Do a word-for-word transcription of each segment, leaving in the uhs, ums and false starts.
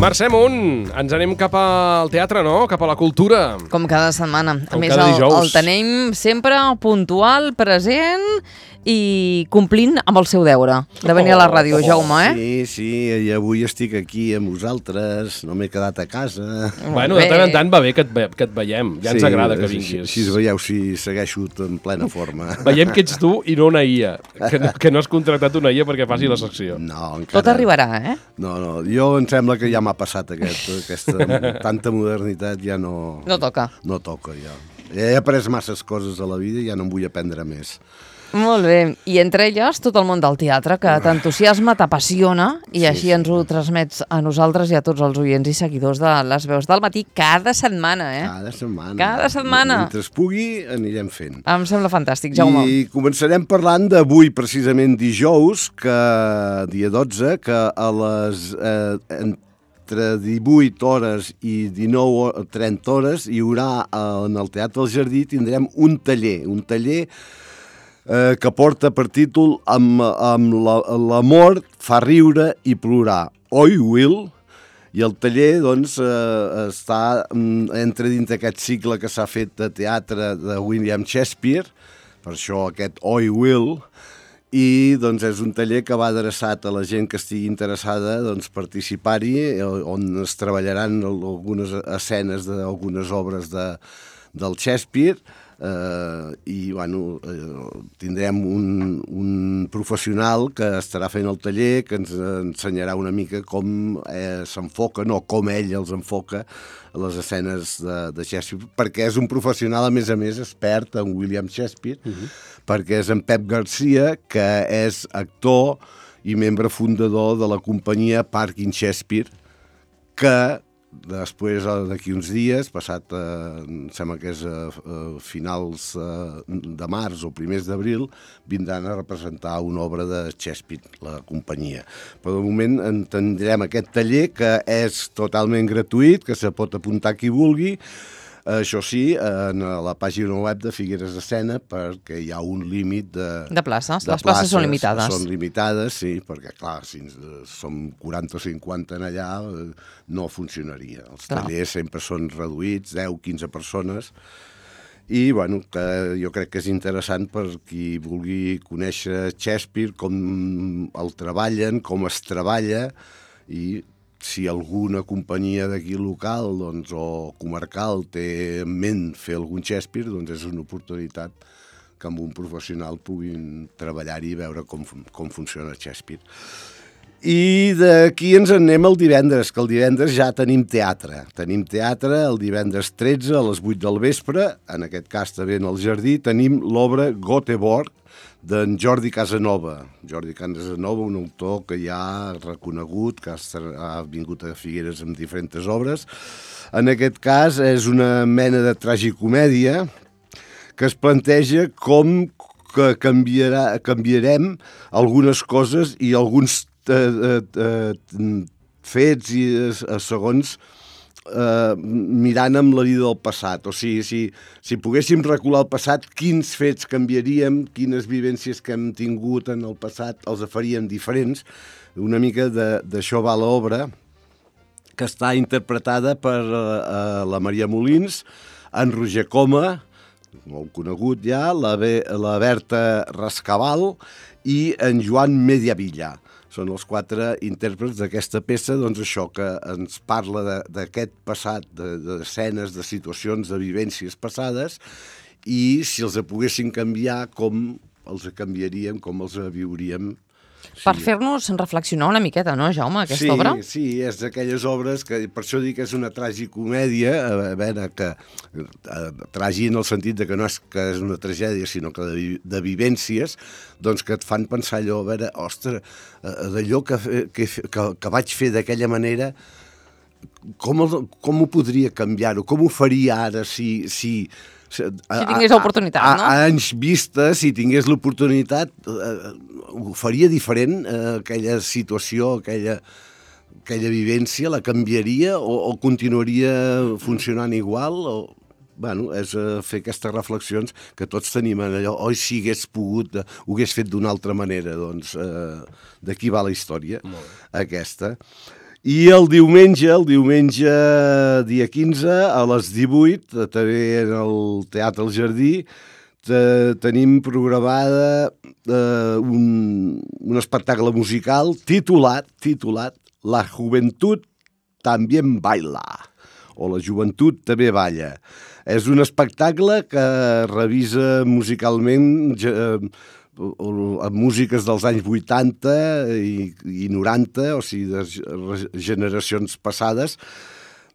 Mercè Munt, ens anem cap al teatre, no? Cap a la cultura. Com cada setmana. A Com més, cada el, dijous. el tenim sempre puntual, present i complint amb el seu deure de venir a la ràdio, Oh, Jaume, eh? Sí, sí, i avui estic aquí amb vosaltres, no m'he quedat a casa. Bueno, de tant en tant va bé que et, ve, que et veiem. Ja ens Sí, agrada que així- vinguis. Així veieu si segueixo en plena forma. Veiem que ets tu i no una I A. Que no, que no has contractat una I A perquè faci la secció. No, encara... Tot arribarà, eh? No, no, jo em sembla que ja m'ha passat aquest, aquesta tanta modernitat, ja no... No toca. No toca, ja. He après masses coses a la vida i ja no en vull aprendre més. Molt bé. I entre elles, tot el món del teatre, que t'entusiasma, t'apassiona, i Sí, així sí. ens ho transmets a nosaltres i a tots els oients i seguidors de Les Veus del Matí cada setmana, eh? Cada setmana. Cada setmana. Mentre es pugui, anirem fent. Em sembla fantàstic, Jaume. I començarem parlant d'avui, precisament dijous, que dia dotze, que a les... Eh, entre divuit hores i dinou o trenta hores hi haurà en el Teatre del Jardí, tindrem un taller, un taller eh, que porta per títol amb, amb la, l'amor fa riure i plorar. Oi, Will? I el taller, doncs, eh, està mm, entre dins d'aquest cicle que s'ha fet de teatre de William Shakespeare, per això aquest Oi, Will, i doncs, és un taller que va adreçat a la gent que estigui interessada doncs, participar-hi, on es treballaran algunes escenes d'algunes obres de, del Shakespeare, eh, i bueno, eh, tindrem un, un professional que estarà fent el taller, que ens ensenyarà una mica com eh, s'enfoquen o com ell els enfoca a les escenes de, de Shakespeare, perquè és un professional, a més a més, expert en William Shakespeare, uh-huh. perquè és en Pep Garcia, que és actor i membre fundador de la companyia Parkin Shakespeare, que després, d'aquí uns dies, passat, eh, em sembla que és a eh, eh, finals eh, de març o primers d'abril, vindran a representar una obra de Shakespeare, la companyia. Però de moment en tindrem aquest taller, que és totalment gratuït, que se pot apuntar qui vulgui. Això sí, en la pàgina web de Figueres Escena, perquè hi ha un límit de... De places, de les places són limitades. Són limitades, sí, perquè, clar, si som quaranta o cinquanta en allà, no funcionaria. Els Clar. tallers sempre són reduïts, deu, quinze persones, i, bueno, que jo crec que és interessant per qui vulgui conèixer Shakespeare, com el treballen, com es treballa, i si alguna companyia d'aquí local doncs, o comarcal té en ment fer algun Shakespeare, doncs és una oportunitat que amb un professional puguin treballar-hi i veure com, com funciona Shakespeare. I d'aquí ens en anem el divendres, que el divendres ja tenim teatre. Tenim teatre el divendres tretze a les vuit del vespre, en aquest cas també en el Jardí, tenim l'obra Göteborg, d'en Jordi Casanova. Jordi Casanova, un autor que ja ha reconegut, que ha vingut a Figueres amb diferents obres. En aquest cas és una mena de tragicomèdia que es planteja com que canviarà, canviarem algunes coses i alguns eh, eh, fets i eh, segons Uh, mirant amb la vida del passat. O sigui, si, si poguéssim recular el passat, quins fets canviaríem, quines vivències que hem tingut en el passat els faríem diferents. Una mica d'això va l'obra, que està interpretada per uh, la Maria Molins, en Roger Coma, molt conegut ja, la, Be la Berta Rascabal i en Joan Mediavilla. Són els quatre intèrprets d'aquesta peça, doncs això, que ens parla d'aquest passat, d'escenes, de, de situacions, de vivències passades, i si els poguessin canviar, com els canviaríem, com els viuríem. Per Sí. fer-nos reflexionar una miqueta, no, Jaume, aquesta sí, obra? Sí, és d'aquelles obres que, per això dic que és una tragicomèdia, a veure, que eh, tragi en el sentit de que no és que és una tragèdia, sinó que de, de vivències, doncs que et fan pensar allò, a veure, ostres, eh, d'allò que, que, que, que vaig fer d'aquella manera, com, el, com ho podria canviar-ho? Com ho faria ara si... si Si tingués l'oportunitat, no? A, a anys vista, si tingués l'oportunitat, eh, ho faria diferent, eh, aquella situació, aquella, aquella vivència, la canviaria o, o continuaria funcionant igual? O, bueno, és eh, fer aquestes reflexions que tots tenim en allò, oi, si hagués pogut, eh, ho hagués fet d'una altra manera, doncs eh, d'aquí va la història, aquesta. I el diumenge, el diumenge dia quinze, a les divuit, també en el Teatre El Jardí, te, tenim programada eh, un, un espectacle musical titulat, titulat La Juventud También Baila, o La Joventut També Balla. És un espectacle que revisa musicalment eh, amb músiques dels anys vuitanta i, i noranta, o sigui, de generacions passades,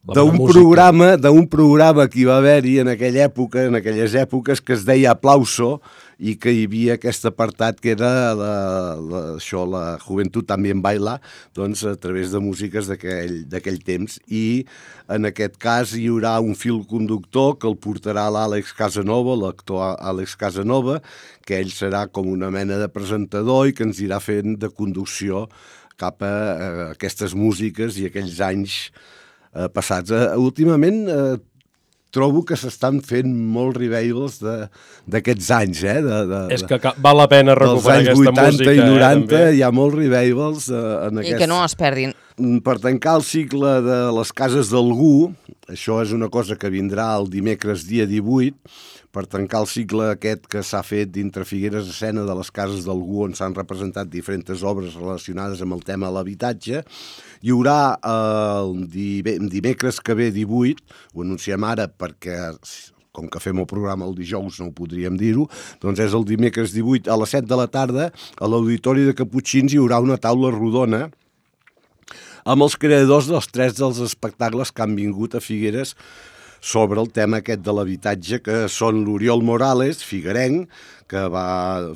d'un programa, d'un programa que hi va haver-hi en aquella època, en aquelles èpoques, que es deia Aplauso, i que hi havia aquest apartat que era la, la, això, la Juventud También Baila, doncs a través de músiques d'aquell temps. I en aquest cas hi haurà un fil conductor que el portarà l'Àlex Casanova, l'actor Àlex Casanova, que ell serà com una mena de presentador i que ens irà fent de conducció cap a, a aquestes músiques i aquells anys Eh, passats. Eh, últimament eh, trobo que s'estan fent molts revivals d'aquests anys, eh? De, de, És que val la pena recuperar aquesta música. Dels anys vuitanta i noranta eh, hi ha molts revivals eh, en I aquest... que no es perdin. Per tancar el cicle de les cases d'algú, això és una cosa que vindrà el dimecres dia divuit, per tancar el cicle aquest que s'ha fet dintre Figueres Escena de les cases d'algú, on s'han representat diferents obres relacionades amb el tema de l'habitatge. Hi haurà el dimecres que ve divuit, ho anunciem ara perquè com que fem el programa el dijous no ho podríem dir-ho, doncs és el dimecres divuit a les set de la tarda, a l'Auditori de Caputxins hi haurà una taula rodona amb els creadors dels tres dels espectacles que han vingut a Figueres sobre el tema aquest de l'habitatge, que són l'Oriol Morales, figuerenc, que va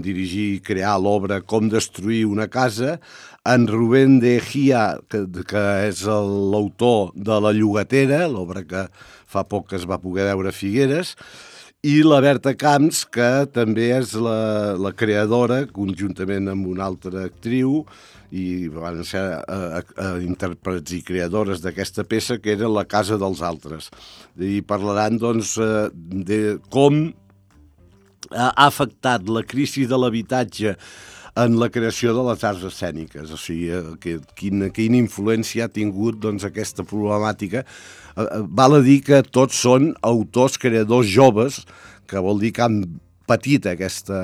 dirigir i crear l'obra Com destruir una casa, en Rubén de Gia, que, que és l'autor de La Llogatera, l'obra que fa poc que es va poder veure a Figueres, i la Berta Camps, que també és la, la creadora, conjuntament amb una altra actriu, i van ser eh, eh, intèrprets i creadores d'aquesta peça, que era La casa dels altres. I parlaran, doncs, eh, de com ha afectat la crisi de l'habitatge en la creació de les arts escèniques, o sigui, que, quina, quina influència ha tingut doncs, aquesta problemàtica. Eh, val a dir que tots són autors, creadors joves, que vol dir que han patit aquesta,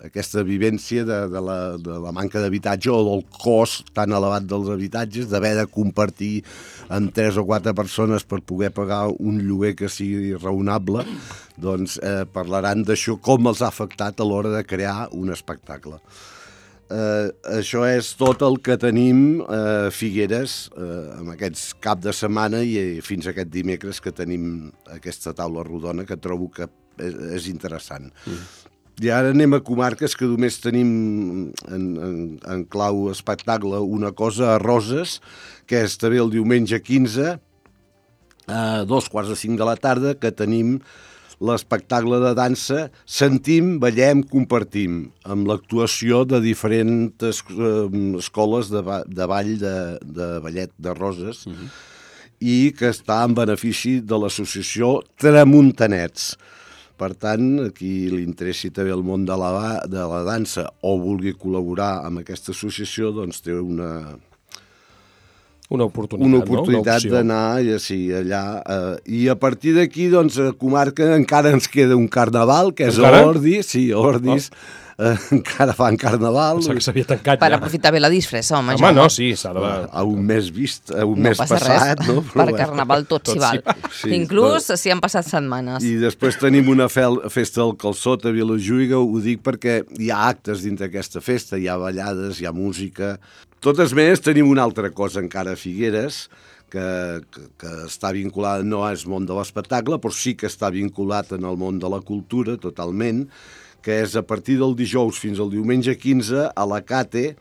aquesta vivència de, de, la, de la manca d'habitatge o del cost tan elevat dels habitatges, d'haver de compartir amb tres o quatre persones per poder pagar un lloguer que sigui raonable, doncs eh, parlaran d'això, com els ha afectat a l'hora de crear un espectacle. Eh, això és tot el que tenim a eh, Figueres eh, amb aquests cap de setmana i eh, fins aquest dimecres que tenim aquesta taula rodona, que trobo que és, és interessant. Mm. I ara anem a comarques que només tenim en, en, en clau espectacle una cosa a Roses, que és també el diumenge quinze, a dos quarts de cinc de la tarda, que tenim l'espectacle de dansa Sentim, Ballem, Compartim, amb l'actuació de diferents eh, escoles de, ba de ball de, de ballet de Roses, uh-huh. i que està en benefici de l'associació Tramuntanets. Per tant, a qui li interessi també el món de la, de la dansa o vulgui col·laborar amb aquesta associació, doncs té una... Una oportunitat, una oportunitat no? d'anar ja, sí, allà. Eh, I a partir d'aquí, doncs, a comarca encara ens queda un carnaval, que és encara? a Ordis, sí, a Ordis, oh. eh, encara fan carnaval. Pensava que s'havia tancat per ja. aprofitar bé la disfressa, home. Home, no, sí, s'ha de... A un mes vist, a un no mes passat. Res. No? Per carnaval tot, tot s'hi val. Sí, Inclús però... si han passat setmanes. I després tenim una fel... festa del calçot a Vilajuïga, ho dic perquè hi ha actes dintre d'aquesta festa, hi ha ballades, hi ha música... Totes més, tenim una altra cosa encara a Figueres, que, que, que està vinculada, no és món de l'espectacle, però sí que està vinculat en el món de la cultura, totalment, que és a partir del dijous fins al diumenge quinze, a la Cate,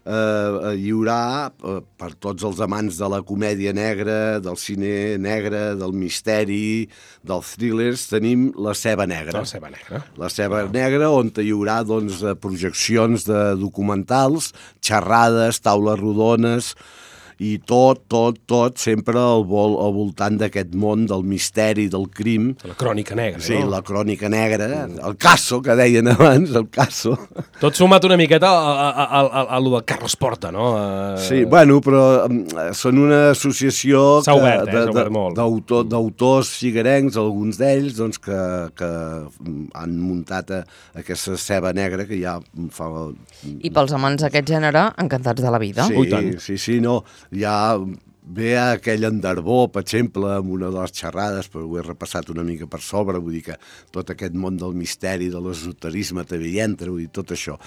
eh, hi haurà, eh, per tots els amants de la comèdia negra, del cine negre, del misteri, dels thrillers, tenim La Ceba Negra. La Ceba Negra. La Ceba Negra, on hi haurà doncs, projeccions de documentals, xerrades, taules rodones, i tot, tot, tot sempre al, vol, al voltant d'aquest món del misteri, del crim. La crònica negra, sí, no? Sí, la crònica negra, el caso, que deien abans, el caso. Tot sumat una miqueta a, a, a, a, a lo del Carles Porta, no? A... Sí, bueno, però són una associació s'ha obert, eh? S'ha obert molt. D'autors figuerencs, alguns d'ells, doncs, que, que han muntat a, aquesta ceba negra que ja fa... I pels amants d'aquest gènere, encantats de la vida. Sí, oh, tant. sí, sí, no, ja ve aquell Enderbó, per exemple, amb una de les xerrades, però ho he repassat una mica per sobre, vull dir que tot aquest món del misteri, de l'esoterisme també hi entra, vull dir, tot això.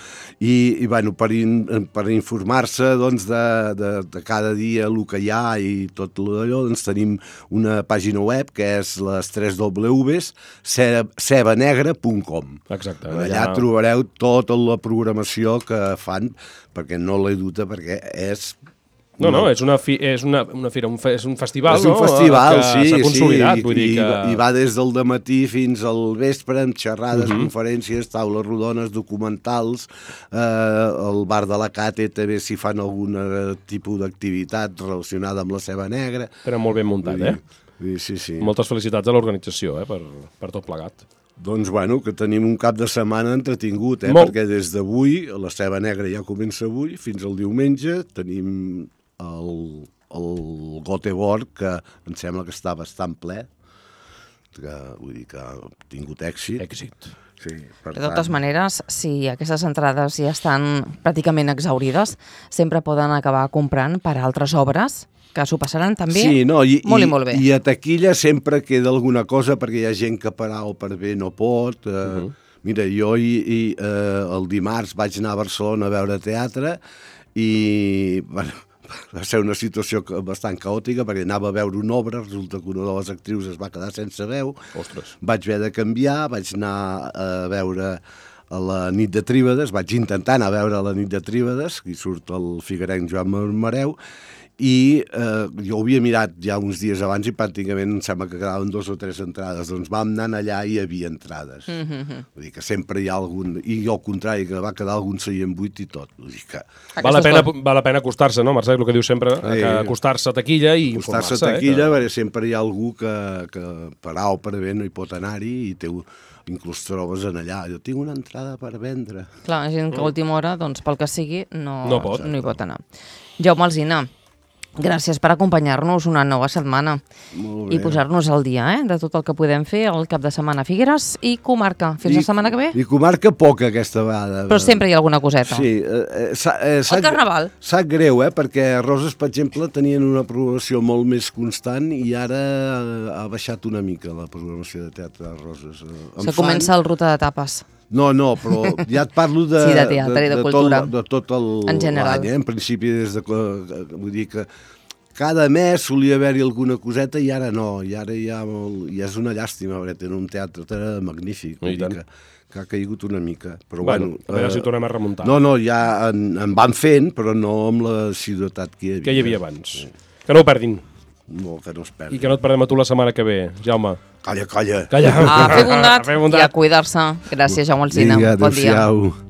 I, i bueno, per, in, per informar-se, doncs, de, de, de cada dia el que hi ha i tot allò, doncs tenim una pàgina web que és les tres dobles ceba negra punt com. Exacte. Allà, allà trobareu tota la programació que fan, perquè no l'he duta, perquè és... No, no, és una, fi, és una, una fira, un fe, és un festival, és un no? festival, que sí, s'ha consolidat, sí, vull dir i, que... i va des del dematí fins al vespre amb xerrades, uh -huh. conferències, taules rodones, documentals, eh, el bar de la Cate també s'hi fan algun tipus d'activitat relacionada amb la ceba negra. Però molt ben muntat, eh? Sí, sí. Moltes felicitats a l'organització, eh, per, per tot plegat. Doncs, bueno, que tenim un cap de setmana entretingut, eh? Molt. Perquè des d'avui, la ceba negra ja comença avui, fins al diumenge, tenim el, el Göteborg, que em sembla que està bastant ple, que vull dir que ha tingut èxit. Èxit. Sí, per De totes tant, maneres, si aquestes entrades ja estan pràcticament exaurides, sempre poden acabar comprant per altres obres que s'ho passaran també sí, no, i, molt i, i molt bé. I a taquilla sempre queda alguna cosa, perquè hi ha gent que per A o per B no pot. Eh, uh -huh. Mira, jo i, i, eh, el dimarts vaig anar a Barcelona a veure teatre i... Bueno, va ser una situació bastant caòtica perquè anava a veure una obra, resulta que una de les actrius es va quedar sense veu. Ostres. Vaig haver de canviar, vaig anar a veure a la nit de Tríbades, vaig intentar anar a veure la nit de Tríbades, i surt el figuerenc Joan Marmareu, i eh, jo ho havia mirat ja uns dies abans i pràcticament em sembla que quedaven dos o tres entrades, doncs vam anar allà i hi havia entrades. Mm -hmm. Vull dir que sempre hi ha algun... I al contrari, que va quedar algun seient buit i tot. Vull dir que... Val la pena, val la pena acostar-se, no, Mercè? El que diu sempre, eh, que acostar-se a taquilla i informar-se. Acostar-se a taquilla, eh, que... perquè sempre hi ha algú que, que per A o per B no hi pot anar-hi i té... inclús trobes en allà, jo tinc una entrada per vendre. Clar, gent que a última hora, doncs, pel que sigui, no, no, pot. no hi pot anar. Jaume Alsina, gràcies per acompanyar-nos una nova setmana i posar-nos al dia eh, de tot el que podem fer el cap de setmana a Figueres i comarca. Fins I, la setmana que ve? I comarca poca aquesta vegada. Però sempre hi ha alguna coseta. Sí. Eh, eh, el carnaval. Sap greu, eh, perquè Roses, per exemple, tenien una programació molt més constant i ara ha baixat una mica la programació de teatre de Roses. Em Se fan... comença el ruta de tapes. No, no, però ja et parlo de, sí, de teatre de, de, i de, de cultura. Tot, de tot el, en general. l'any. Eh? En principi, des de, vull dir que cada mes solia haver-hi alguna coseta i ara no, i ara hi ha molt, i és una llàstima, perquè tenen un teatre magnífic, vull dir que, que ha caigut una mica. Però bueno, bueno, a veure eh, si tornem a remuntar. No, no, ja en, en van fent, però no amb la assiduïtat que hi havia. Que hi havia abans. Sí. Que no ho perdin. No, que no es perdi. I que no et perdem a tu la setmana que ve, Jaume. Calla, calla. Calla. A fer bondat, a fer bondat. I a cuidar-se. Gràcies, Jaume Alsina. Vinga, bon dia. adéu-siau.